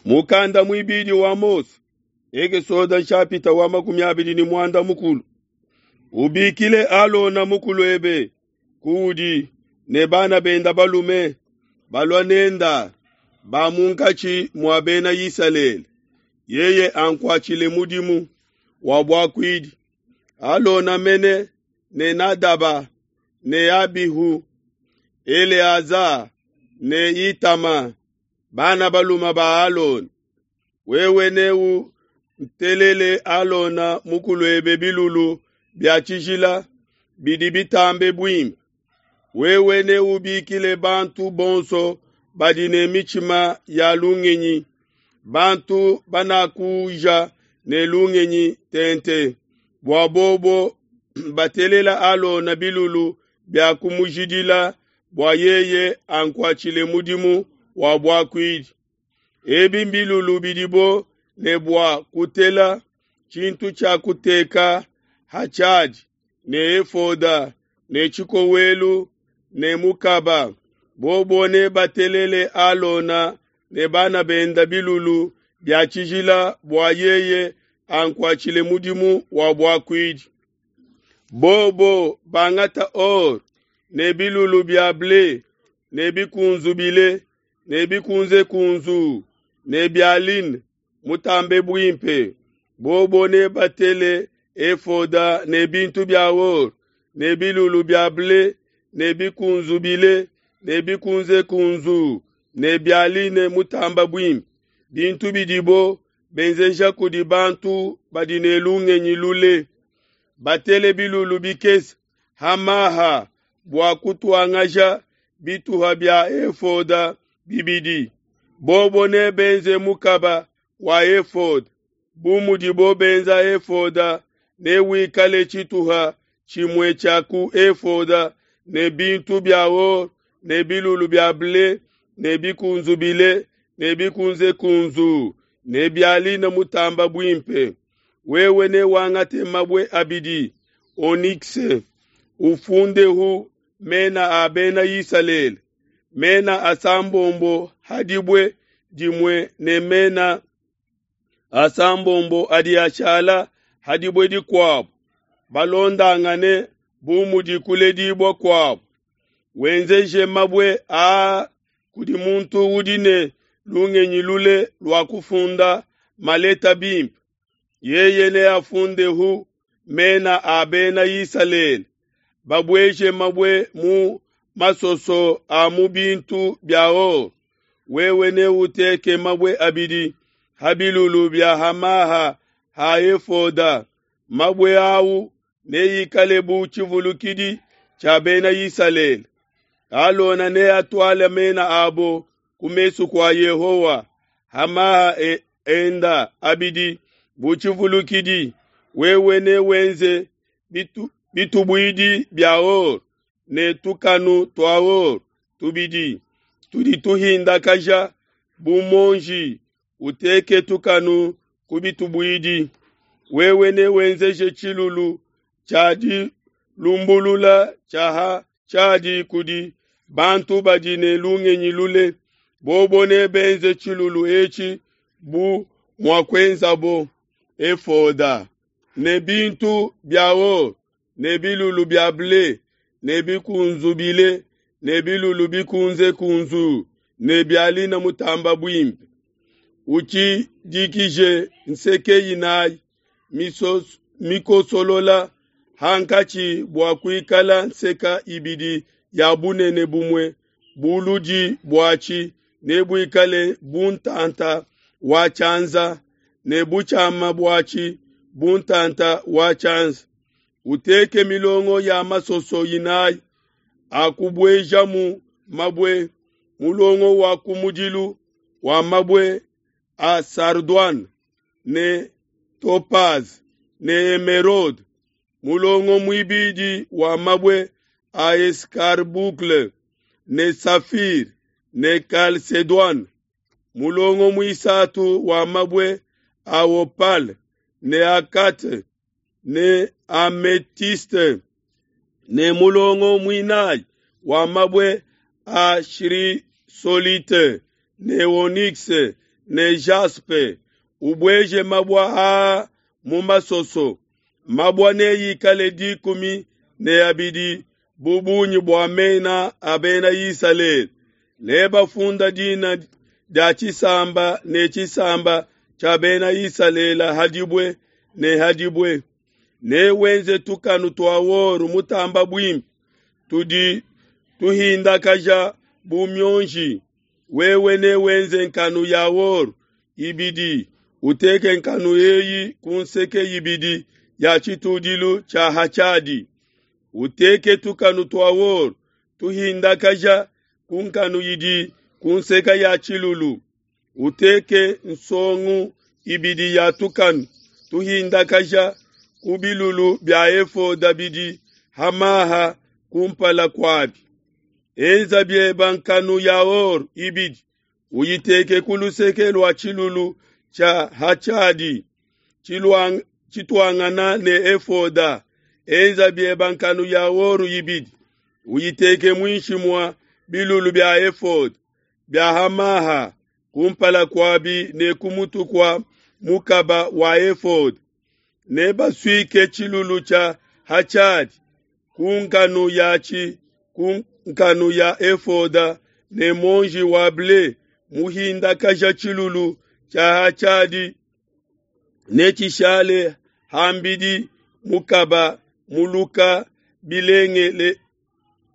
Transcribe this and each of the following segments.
Mukanda muibidi wa Mose, Ekesode nshapita wa 25. Ubikile Alona mukuluebe kuudi ne bana benda balume balua nenda ba munkatshi mua bena Isalele. Yeye ankuatshile mudimu wa buakuidi. Alona mene ne Nadaba ne Abihu, Eleaza ne Itama, bana balume ba Alona. Wewe neutelele Alona mukuluebe bilulu bia tshijila bidi bitambe buimpe. Wewe neubikile bantu bonso badi ne mitshima ya lungenyi, bantu banakuja ne lungenyi tente, bua bobo batelela Alona bilulu bia kumujidila bua yeye ankuatshile mudimu wa buakuidi. Ebi mbilulu bidibo ne bua kutela: tshintu tshia kuteka ha tshiadi, ne efoda, ne tshikowelu, ne mukaba. Bobo nebatelele Alona ne bana benda bilulu bia tshijila bua yeye ankuatshile mudimu wa buakuidi. Bobo bangata or ne bilulu bia ble ne bikunzubile ne bikunzekunzu ne bia lin mutambe buimpe. Bobo nebatele efoda ne bintu bia or ne bilulu bia ble ne bikunzubile ne bikunzekunzu ne bia line mutamba buimpe, bintu bidibo benzeja kudi bantu badi ne lungenyi lule. Batele bilulu bikese ha maha bua kutuangaja bituha bia efoda bibidi. Bobo nebenze mukaba wa efoda bu mudibo benza efoda, newikale tshituha tshimue tshia ku efoda ne bintu bia or ne bilulu bia ble ne bikunzubile ne bikunzekunzu ne bia line mutamba buimpe. Wewe newangate mabue abidi onyx, ufundehu mena a bena Isalele, mena asambombo ha dibue dimue ne mena asambombo adi ashala ha dibue dikuabo, balondangane bu mudi kuledibua kuabo. Wenzeje mabue aa kudi muntu udi ne lungenyi lule lua kufunda maleta bimpe. Yeye neafundehu mena a bena Isalele. Babueje mabue mu masoso a mu bintu bia or. Wewe neuteke mabue abidi ha bilulu bia hamaha ha efoda. Mabue au neikale bu tshivulukidi tshia bena Isalele. Alona neatuale mena abo ku mesu kua Yehowa hamaha enda abidi bu tshivulukidi. Wewe newenze bitubuidi bia or ne tukanu tua or tubidi tudi tuhindakaja bu monji, uteke tukanu ku bitubuidi. Wewe newenzeje tshilulu tshia dilumbulula tshia ha tshiadi kudi bantu badi ne lungenyi lule. Bobo nebenze tshilulu etshi bu muakuenzabo efoda ne bintu bia or ne bilulu bia ble ne bikunzubile ne bilulu bikunzekunzu ne bia line mutamba buimpe. Utshidikije nseke inayi mikosolola hankatshi bua kuikala nseka ibidi ya bunene bumue, buludi buatshi nebuikale bu ntanta wa tshianza ne butshiama buatshi bu ntanta wa tshianza. Uteke milongo ya masoso inayi akubuejamu mabue, mulongo wa kumudilu wa mabue a sardoine ne topaze ne emeraude, mulongo muibidi wa mabue a escarboucle ne safire ne chalcédoine, mulongo muisatu wa mabue a opale ne agate ne amethyste, ne mulongo muinayi wa mabue a chrysolite ne onyx. ne jaspe. Ubueje mabua aa mu masoso. Mabua neikale 12 bu bungi bua mena a bena Isalele. Nebafunda dina dia tshisamba ne tshisamba tshia bena Isalele ha dibue ne ha dibue. Newenze tukanu tua or mutamba buimpe tudi tuhindakaja bu mionji. Wewe newenze nkanu ya or ibidi, uteke nkanu eyi ku nseke ibidi ya tshitudilu tshia ha tshiadi. Uteke tukanu tua or tuhindakaja ku nkanu idi ku nseke ya tshilulu. Uteke nsongu ibidi ya tukanu tuhindakaja ku bilulu bia efoda bidi ha maha kumpala kuabi. Enza bieba nkanu ya or ibidi, uyiteke ku luseke lua tshilulu tshia ha tshiadi tshituangana ne efoda. Enza bieba nkanu ya or ibidi, uyiteke muinshi mua bilulu bia efoda bia ha maha kumpala kuabi ne ku mutu kua mukaba wa efoda. Nebasuike tshilulu tshia ha tshiadi ku nkanu yatshi ku nkanu ya efoda ne muonji wa ble muhindakaja tshilulu tshia ha tshiadi netshishale hambidi mukaba muluka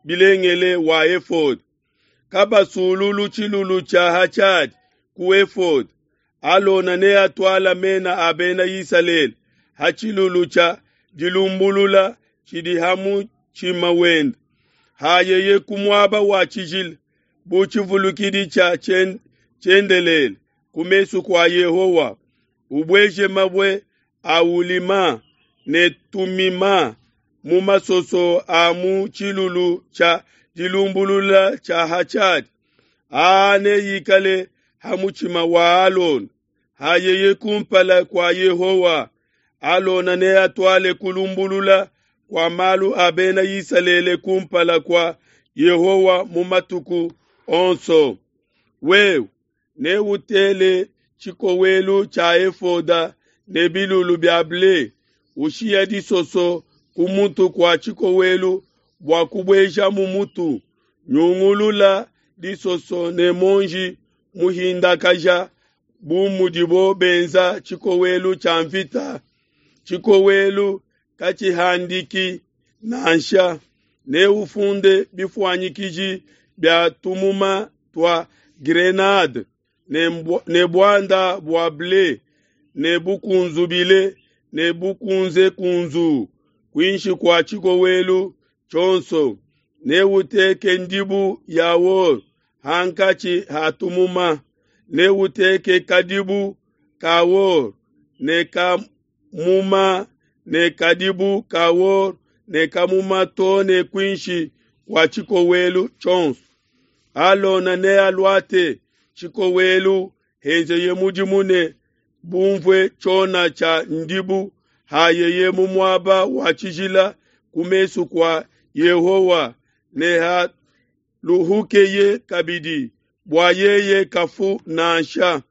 bilengele wa efoda. Kabasululu tshilulu tshia ha tshiadi ku efoda. Alona neatuala mena a bena Isalele ha tshilulu tshia dilumbulula tshidi ha mutshima wende, hayeye ku muaba wa tshijila bu tshivulukidi tshia tshiendelele ku mesu kua Yehowa. Ubueje mabue a ulima ne tumima mu masoso a mu tshilulu tshia dilumbulula tshia ha tshiadi. Aa neikale ha mutshima wa Alona hayeye kumpala kua Yehowa. Alona neatuale kulumbulula kua malu a bena Isalele kumpala kua Yehowa mu matuku onso. Wewe neutele tshikowelu tshia efoda ne bilulu bia ble, ushiya disoso ku mutu kua tshikowelu bua kubueja mu mutu. Nyungulula disoso ne monji muhindakaja bu mudibo benza tshikowelu tshia mvita. Tshikowelu katshihandiki nansha. Neufunde bifuanyikiji bia tumuma tua grenade ne buanda bua ble ne bukunzubile ne bukunzekunzu kuinshi kua tshikowelu tshionso. Neuteke ndibu ya or hankatshi ha tumuma. Neuteke kadibu ka or ne kamuma ne kadibu ka or ne kamuma to ne kuinshi kua tshikowelu tshionso. Alona nealuate tshikowelu henzeye mudimu ne bumvue tshiona tshia ndibu hayeye mu muaba wa tshijila ku mesu kua Yehowa ne haluhukeye kabidi bua yeye kafu nansha.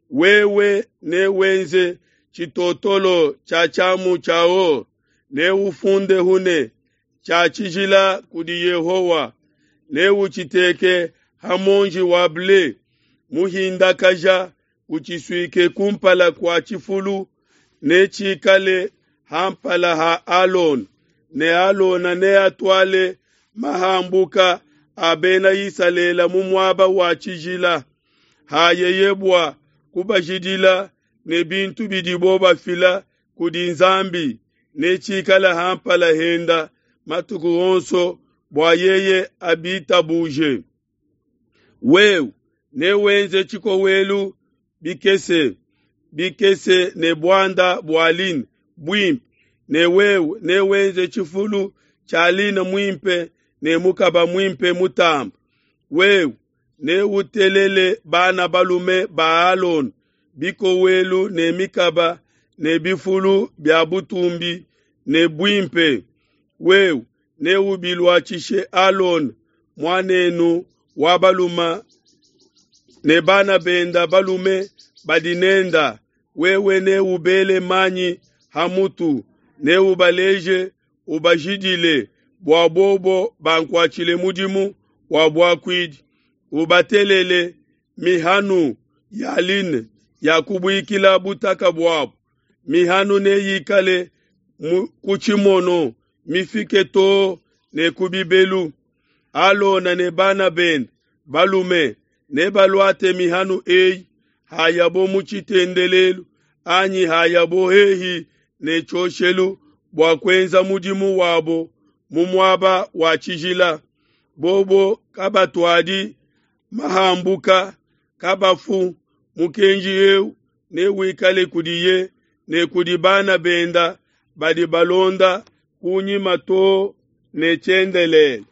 Wewe newenze tshitotolo tshia tshiamu tshia or, neufundehu ne tshia tshijila kudi Yehowa. Neutshiteke ha monji wa ble muhindakaja, utshisuike kumpala kua tshifulu, netshikale ha mpala ha Alona. Ne Alona neatuale mahambuka a bena Isalele mu muaba wa tshijila, hayeye bua kubajidila ne bintu bidibo bafila kudi Nzambi, netshikale ha mpala henda matuku onso bua yeye abitabuje. Wewe newenze tshikowelu bikese bikese ne buanda bua line buimpe, ne wewe newenze tshifulu tshia line muimpe ne mukaba muimpe mutamba. Wewe neutelele bana balume ba Alona bikowelu ne mikaba ne bifulu bia butumbi ne buimpe. Wewe neubiluatshishe Alona muanenu wa balume ne bana benda balume badi nenda, wewe neubele manyi ha mutu, neubaleje ubajidile bua bobo bankuatshile mudimu wa buakuidi. Ubatelele mihanu ya line ya kubuikila butaka buabu. Mihanu neyikale ku tshimono mifike too ne ku bibelu. Alona ne bana bende balume nebaluate mihanu eyi hayabo mu tshitendelelu anyi hayabo hehi ne tshioshelu bua kuenza mudimu wabo mu muaba wa tshijila. Bobo kabatuadi mahambuka, kabafu. Mukenji eu newikale kudiye ne kudi bana benda badi balonda kunyima too ne tshiendelele.